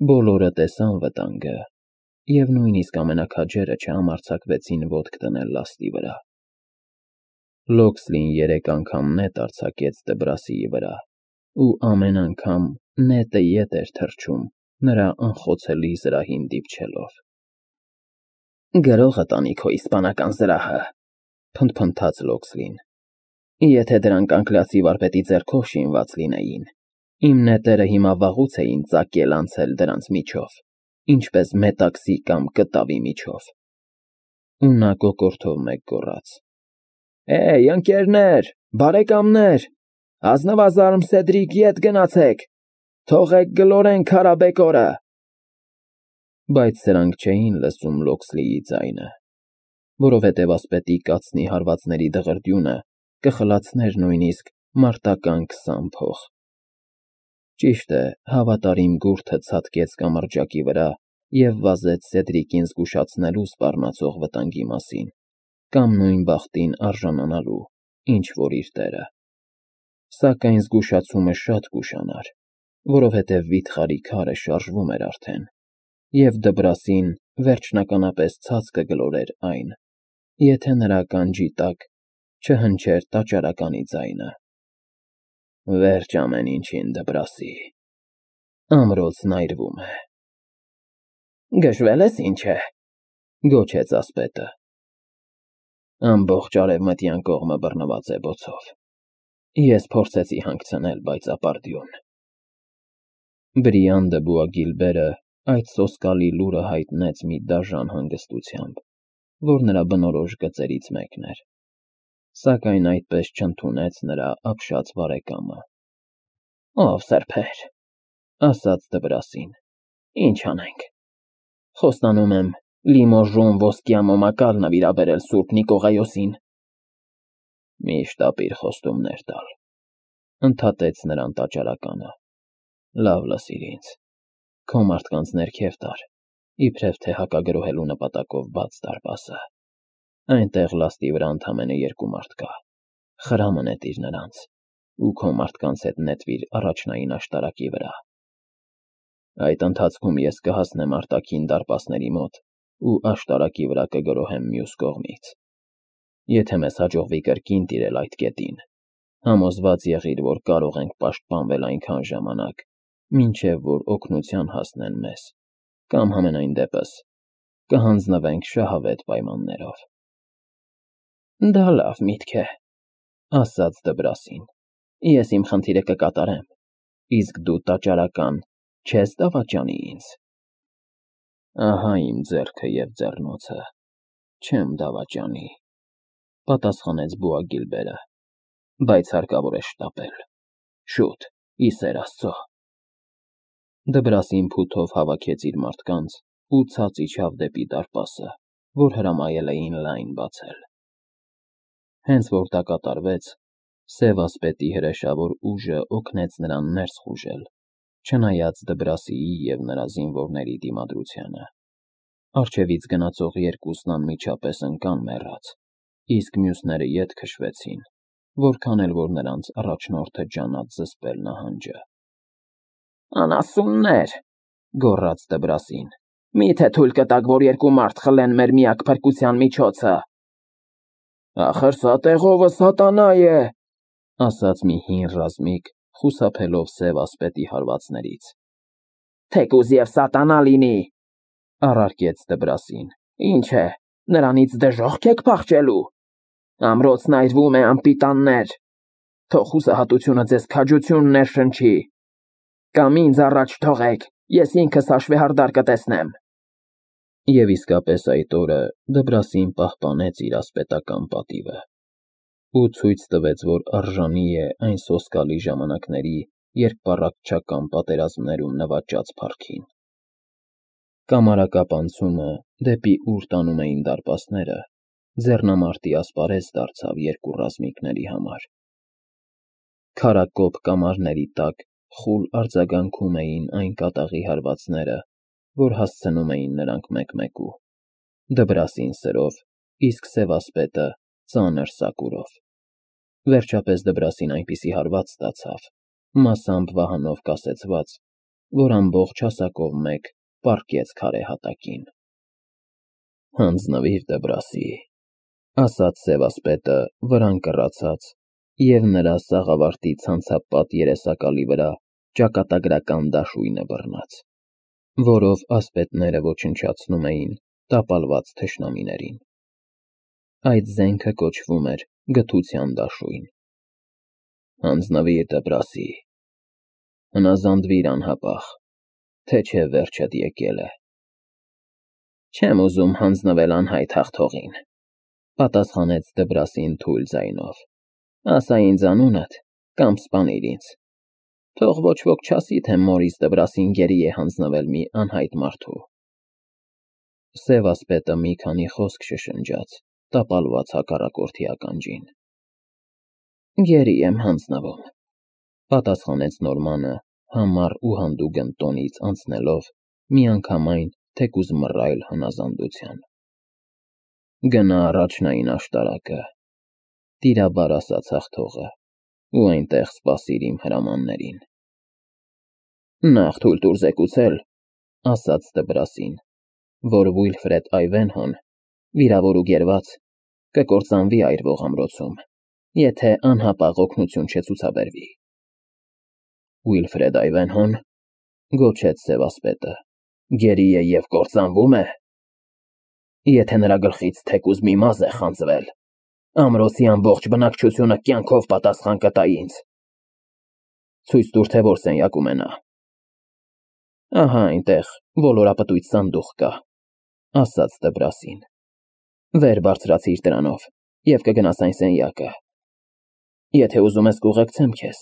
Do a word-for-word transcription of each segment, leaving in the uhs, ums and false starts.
Բոլորը տեսան վտանգը, և նույնիսկ ամենաքաջերը չհամարձակվեցին ոտք դնել լաստի վրա։ Լոքսլին երեք անգամ նետ արձակեց Դբրասիի վրա, ու ամեն անգամ նետը ետ էր թռչում, նրա անխոցելի զրահին դիպչելով։ «Գրողը տանի քո իսպանական զրահը», փնթփնթաց Լոքսլին։ «Եթե դրանք անկլասի վարպետի ձեռքով շինված լինեին, իմ նետերը հիմա վաղուց էին ծակել անցել դրանց միջով, ինչպես մետաքսի կամ կտավի միջով»։ Ու նա կոկորդով մեկ գոռաց. «Հեյ, ընկերներ, բարեկամներ, ազնվազարմ Սեդրիկ, ետ գնացեք, թողեք գլորեն քարաբեկորը»։ Բայց սրանք չէին լսում Լոքսլիի ձայնը, որովհետև ասպետի կացնի հարվածների դղրդյունը կխլացներ նույնիսկ մարտական քսան փող։ Ճիշտ է, հավատարիմ գուռը ցատկեց կամրջակի վրա և վազեց Սեդրիկին զգուշացնելու սպառնացող վտանգի մասին, կամ նույն բախտին արժանանալու, ինչ որ իր տեղը։ Սակայն զգուշացումը շատ կուշանար, որովհետև վիթխարի քարը շարժվում էր արդեն, և Դբրասին վերջնականապես ցած կգլորեր այն, եթե նրա ականջի տակ չհնչեր տաճարականի ձայնը. «Վերջ ամեն ինչին, Դբրասի, ամրոցն այրվում է»։ «Գժվել ես, ինչ է», գոչեց ասպետը։ «Ամբողջ արևմտյան կողմը բռնված է բոցով։ Ես փորձեցի հանգցնել, բայց ապարդյուն»։ Բրիան դը Բուագիլբերը այդ սոսկալի լուրը հայտնեց մի դաժան հանգստությամբ, որ նրա բնորոշ գծերից մեկն էր, սակայն այդպես չընդունեց նրա ապշած բարեկամը։ «Ով սրբեր», ասաց Դբրասին, «ինչ անենք։ Խոստանում եմ Լիմոժոն ոսկյա մոմակալ նվիրաբերել Սուրբ Նիկողայոսին»։ «Միշտ ապիր խոստումներ տալ», ընդհատեց նրան տաճարականը։ «Լավ լսիր ինձ, քո մարդկանց ներքև տար, իբրև թե հակագրոհելու նպատակով բաց դարպասը։ Այնտեղ լաստի վրա ընդամենը երկու մարդ կա, խրամը նետիր նրանց, ու քո մարդկանց հետ նետվիր առաջնային աշտարակի վրա։ Այդ ընթացքում ես կհասնեմ արտաքին դարպասների մոտ ու աշտարակի վրա կգրոհեմ մյուս կողմից։ Եթե մեզ հաջողվի կրկին տիրել այդ կետին, համոզված եղիր, որ կարող ենք պաշտպանվել այնքան ժամանակ, մինչև որ օգնության հասնեն մեզ, կամ համենայն դեպս կհանձնվենք շահավետ պայմաններով»։ «Դա լավ միտք է», ասաց Դբրասին, «ես իմ խնդիրը կկատարեմ, իսկ դու տաճարական չես դավաճանի ինձ»։ «Ահա իմ ձեռքը և ձեռնոցը, չեմ դավաճանի», պատասխանեց Բուագիլբերը, «բայց հարկավոր է շտապել, շուտ, ի սեր Աստծո»։ Դբրասին փութով հավաքեց իր մարդկանց ու ցած իջավ դեպի դարպասը, որ հրամայել էին լայն բացել։ Հենց որ դա կատարվեց, սև ասպետի հրեշավոր ուժը օգնեց նրան ներս խուժել, չնայած Դբրասիի և նրա զինվորների դիմադրությանը։ Առջևից գնացող երկուսն անմիջապես ընկան մեռած, իսկ մյուսները ետ քշվեցին, որքան էլ որ նրանց առաջնորդը ջանաց զսպել նահանջը։ «Անասուններ», գոռաց Դբրասին, «մի՞թե թույլ կտաք, որ երկու մարդ խլեն մեր միակ փրկության միջոցը»։ «Ախր սա տեղովը սատանա է», ասաց մի հին ռազմիկ, խուսափելով սև ասպետի հարվածներից։ «Թեկուզ և սատանա լինի», առարկեց Դբրասին, «ինչ է, նրանից դժոխք եք փախչելու։ Ամրոցն այրվում է, անպիտաններ, թող հուսահատությունը ձեզ քաջություն ներշնչի։ Կամ ինձ առաջ թողեք, ես ինքս հաշվեհարդար կտեսնեմ»։ Եվ իսկապես այդ օրը Դբրասին պահպանեց իր ասպետական պատիվը ու ցույց տվեց, որ արժանի է այն սոսկալի ժամանակների երկպառակտչական պատերազմներում նվաճած փառքին։ Կամարակապ անցումը, դեպի ուր տանում էին դարպասները, ձեռնամարտի ասպարեզ դարձավ երկու ռազմիկների համար։ Քարակոպ կամարների տակ խուլ արձագանքում էին այն կատաղի հարվածները, որ հասցնում էին նրանք մեկ֊մեկու, Դբրասին սրով, իսկ սև ասպետը ծանր սակուրով։ Վերջապես Դբրասին այնպիսի հարված ստացավ, մասամբ վահանով կասեցված, որ ամբողջ հասակով մեկ պառկեց քարե հատակին։ Հանձնվիր Դբրասի, ասաց սևասպետը վրան կռացած, և նրա սաղավարտի ցանցապատ երեսակալի վրա ճակատագրական դաշույնը բռնած, որով ասպետները ոչնչացնում էին տապալված թշնամիներին։ Այդ զենքը կոչվում էր գթության դաշույն։ Հանձնվիր Դբրասի, հնազանդվիր անհապաղ, թե չէ վերջդ եկել է։ Չեմ ուզում հանձնվել անհայտ հաղթողին, պատասխանեց Դբրասին թույլ ձայնով, ասա ինձ անունդ, կամ սպանիր ինձ, թող ոչ ոք չասի, թե մորիս Դբրասին գերի է հանձնվել մի անհայտ մարդու։ Սևասպետը մի քանի խոսք շշնջաց տապալված հակառակորդի ականջին։ Գերի եմ հանձնվում, պատասխանեց Նորմանը համառ ու հանդուգն տոնից անցնելով միանգամայն թեկուզ մռայլ հնազանդության։ Գնա առաջնային աշտարակը, տիրաբար ասաց հաղթողը, ու այնտեղ սպասիր իմ հրամաններին։ Նախ թույլ տուր զեկուցել, ասաց Դբրասին, որ Վիլֆրեդ Այվենհոն, վիրավոր ու գերված, կկործանվի այրվող ամրոցում, եթե անհապաղ օգնություն չցուցաբերվի։ Վիլֆրեդ Այվենհոն, գոչեց սևասպետը, գերի է և կործանվում է։ Եթե նրա գլխից թեկուզ մի մազ է խանձվել, ամրոցի ամբողջ բնակչությունը կյանքով պատասխան կտա ինձ։ Ցույց տուր, թե որ սենյակում է նա։ Ահա այնտեղ ոլորապտույտ սանդուղք կա, ասաց Դբրասին։ Վեր բարձրացիր դրանով և կգնաս այն սենյակը։ Եթե ուզում ես կուղեկցեմ քեզ,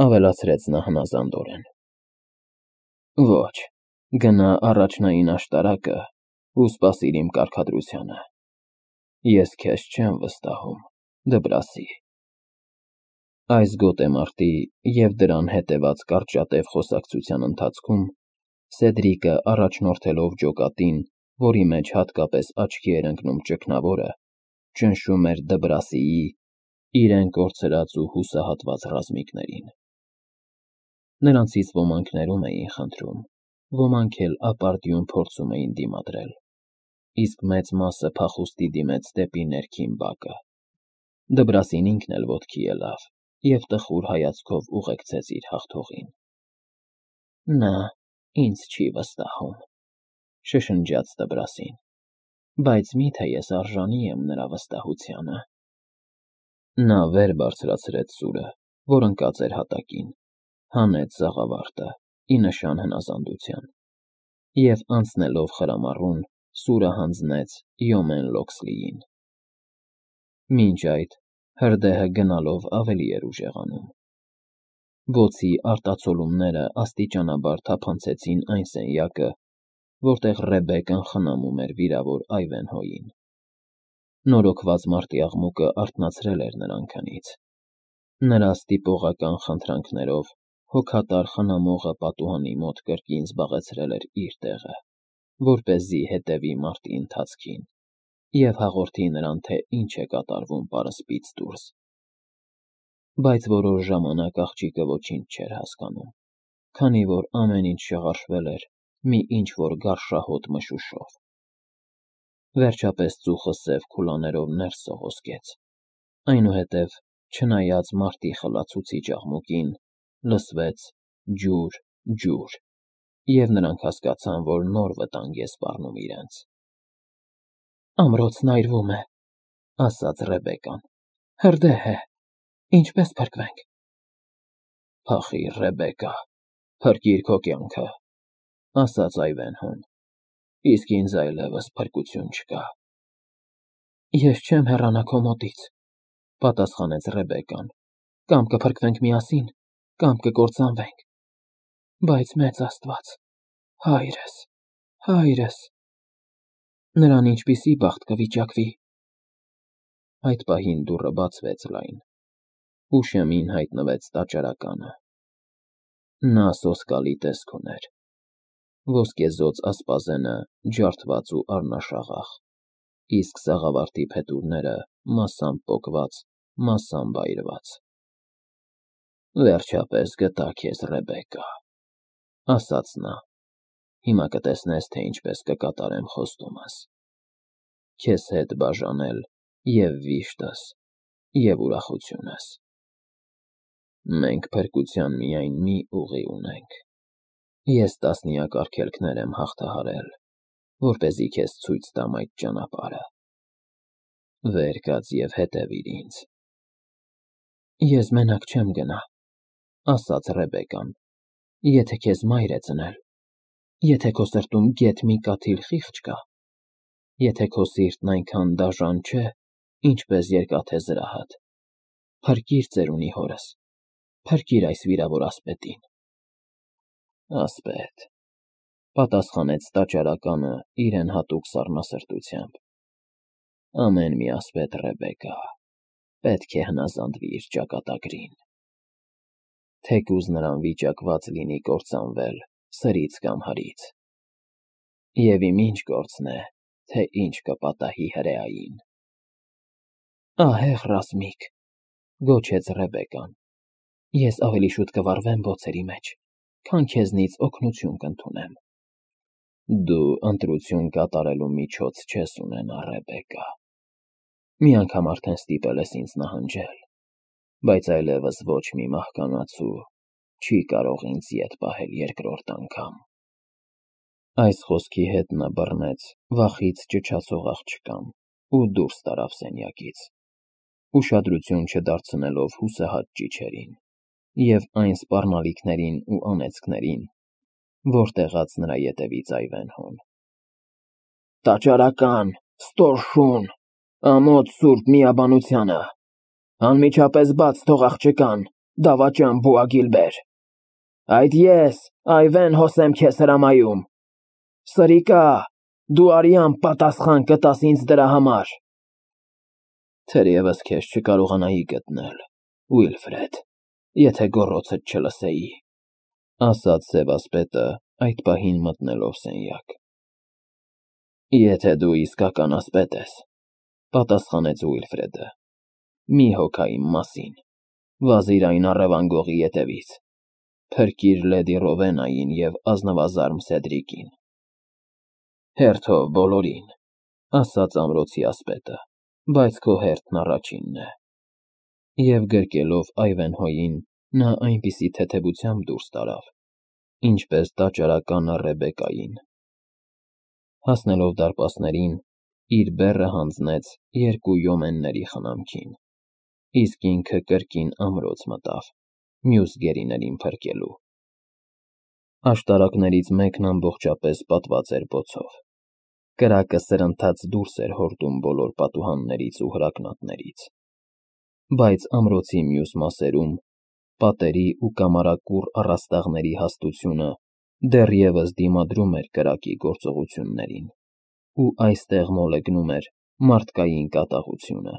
ավելացրեց նա հնազանդորեն։ Ոչ, գնա առաջնային աշտարակը ու սպասիր իմ կարգադրությանը։ Ես քեզ չեմ վստահում, Դբրասի։ Այս գոտեմարտի և դրան հետևած կարճատև խոսակցության ընթացքում Սեդրիկը, առաջնորդելով ջոկատին, որի մեջ հատկապես աչքի էր ընկնում ճգնավորը, ճնշում էր Դբրասիի իրեն կորցրած ու հուսահատված ռազմիկներին։ Նրանցից ոմանք ներում էին խնդրում, ոմանք էլ ապարդյուն փորձում էին դիմադրել, իսկ մեծ մասը փախուստի դիմեց դեպի ներքին բակը։ Դբրասին ինքն էլ ոտքի ելավ և տխուր հայացքով ուղեկցեց իր հաղթողին։ Նա ինձ չի վստահում, շշնջաց Դբրասին, բայց մի՞թե ես արժանի եմ նրա վստահությանը։ Նա վեր բարձրացրեց սուրը, որ ընկած էր հատակին, հանեց սաղավարտը ի նշան հնազանդության և, անցնելով խրամառուն, սուրը հանձնեց Յոմեն Լոքսլիին։ Մինչ այդ հրդեհը գնալով ավելի էր ուժեղանում։ Բոցի արտացոլումները աստիճանաբար թափանցեցին այն սենյակը, որտեղ Ռեբեկան խնամում էր վիրավոր Այվենհոյին։ Նորոգված մարտի աղմուկը արթնացրել էր նրան քնից։ Նրա ստիպողական խնդրանքներով հոգատար խնամողը պատուհանի մոտ կրկին զբաղեցրել էր իր տեղը, որպեսզի հետևի մարտի ընթացքին և հաղորդի նրան, թե ինչ է կատարվում պարսպից դուրս։ Բայց որոշ ժամանակ աղջիկը ոչինչ չէր հասկանում, քանի որ ամեն ինչ շղարշվել էր մի ինչ-որ գարշահոտ մշուշով։ Վերջապես ծուխը սև քուլաներով ներս սողոսկեց, այնուհետև, չնայած մարտի խլացուցիչ աղմուկին, լսվեց ջուր, ջուր, և նրանք հասկացան, որ նոր վտանգ է սպառնում իրենց։ Ամրոցն այրվում է, ասաց Ռեբեկան, հրդեհ է, ինչպե՞ս փրկվենք։ Փախիր, Ռեբեկա, փրկիր քո կյանքը, ասաց Այվենհոն, իսկ ինձ այլևս փրկություն չկա։ Ես չեմ հեռանա քո մոտից, պատասխանեց Ռեբեկան, կամ կփրկվենք միասին, կամ կկործանվենք, բայց մեծ Աստված, հայրս, հայրս, նրան ինչպիսի բախտ կվիճակվի։ Այդ պահին դուռը բացվեց լայն, ու շեմին հայտնվեց տաճարականը։ Նա սոսկալի տեսք ուներ, ոսկեզօծ ասպազենը ջարդված ու առնաշաղախ, իսկ սաղավարտի փետուրները մասամբ պոկված, մասամբ այրված։ Վերջապես գտա քեզ, Ռեբեկա, ասաց նա, հիմա կտեսնես, թե ինչպես կկատարեմ խոստումս, քեզ հետ բաժանել և վիշտս, և ուրախությունս։ Մենք փրկության միայն մի ուղի ունենք, ես տասնյակ արգելքներ եմ հաղթահարել, որպեսզի քեզ ցույց տամ այդ ճանապարհը, վեր կաց և հետևիր ինձ։ Ես մենակ չեմ գնա, ասաց Ռեբեկան, եթե քեզ մայր է ծնել, եթե քո սրտում գեթ մի կաթիլ խիղճ կա, եթե քո սիրտն այնքան դաժան չէ, ինչպես երկաթե զրահդ, փրկիր ծերունի հորս, փրկիր այս վիրավոր ասպետին։ Ասպետ, պատասխանեց տաճարականը իրեն հատուկ սառնասրտությամբ, ամեն մի ասպետ, Ռեբեկա, պետք է հնազանդվի իր ճակատագրին, թեկուզ նրան վիճակված լինի կործանվել սրից կամ հրից, և իմ ինչ գործն է, թե ինչ կպատահի հրեային։ Ահեղ ռազմիկ, գոչեց Ռեբեկան, ես ավելի շուտ կվառվեմ բոցերի մեջ, քան քեզնից օգնություն կընդունեմ։ Դու ընտրություն կատարելու միջոց չես ունենա, Ռեբեկա, մի անգամ արդեն ստիպել ես ինձ նահանջել, բայց այլևս ոչ մի մահկանացու չի կարող ինձ ետ պահել երկրորդ անգամ։ Այս խոսքի հետ նա բռնեց վախից ճչացող աղջկան ու դուրս տարավ սենյակից, ուշադրություն չդարձնելով հուսահատ ճիչերին և այն սպառնալիքներին ու անեծքներին, որ տեղաց նրա ետևից Այվենհոն։ Տաճարական, ստոր շուն, ամոթ սուրբ միաբանությանը, անմիջապես բաց թող աղջկան, դավաճան Բուագիլբեր, այդ ես, Այվենհոս եմ քեզ հրամայում, սրիկա, դու արյան պատասխան կտաս ինձ դրա համար։ Թերևս քեզ չկարողանայի գտնել, Ուիլֆրեդ, եթե գոռոցդ չլսեի, ասաց սևասպետը այդ պահին մտնելով սենյակ։ Եթե դու իսկական ասպետ ես, պատասխանեց Ուիլֆրեդը, մի հոգա իմ մասին, վազիր այն առևանգողի ետևից, փրկիր լեդի Ռովենային և ազնվազարմ Սեդրիկին։ Հերթով բոլորին, ասաց ամրոցի ասպետը, բայց քո հերթն առաջինն է։ Եվ գրկելով Այվենհոյին, նա այնպիսի թեթևությամբ դուրս տարավ, ինչպես տաճարականը Ռեբեկային։ Հասնելով դարպասներին, իր բեռը հանձնեց երկու յոմենների խնամքին, իսկ ինքը կրկին ամրոց մտավ, մյուս գերիներին փրկելու։ Աշտարակներից մեկն ամբողջապես պատված էր բոցով, կրակը սրընթաց դուրս էր հորդում բոլոր պատուհաններից ու հրակնատներից, բայց ամրոցի մյուս մասերում, պատերի ու կամարակուռ առաստաղների հաստությունը դեռևս դիմադրում էր կրակի գործողություններին, ու այստեղ մոլեգնում էր մարդկային կատաղությունը,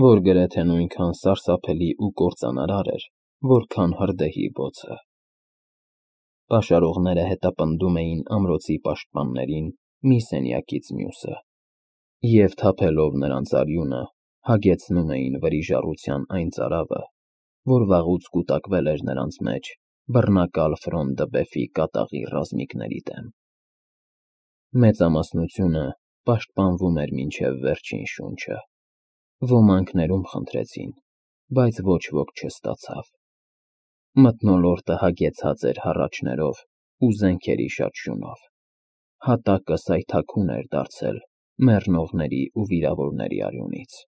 որ գրեթե նույնքան սարսափելի ու կործանարար էր, որքան հրդեհի բոցը։ Պաշարողները հետապնդում էին ամրոցի պաշտպաններին մի սենյակից մյուսը, և թափելով նրանց արյունը, հագեցնում էին վրիժառության այն ծարավը, որ վաղուց կուտակվել էր նրանց մեջ բռնակալ Ֆրոն դը Բեֆի կատաղի ռազմիկների դեմ։ Մեծամասնությունը պաշտպանվում էր մինչև վերջին շունչը, ոմանք ներում խնդրեցին, բայց ոչ ոք չստացավ։ Մթնոլորտը հագեցած էր հառաչներով ու զենքերի շաչյունով, հատակը սայթաքուն էր դարձել մեռնողների ու վիրավորների արյունից։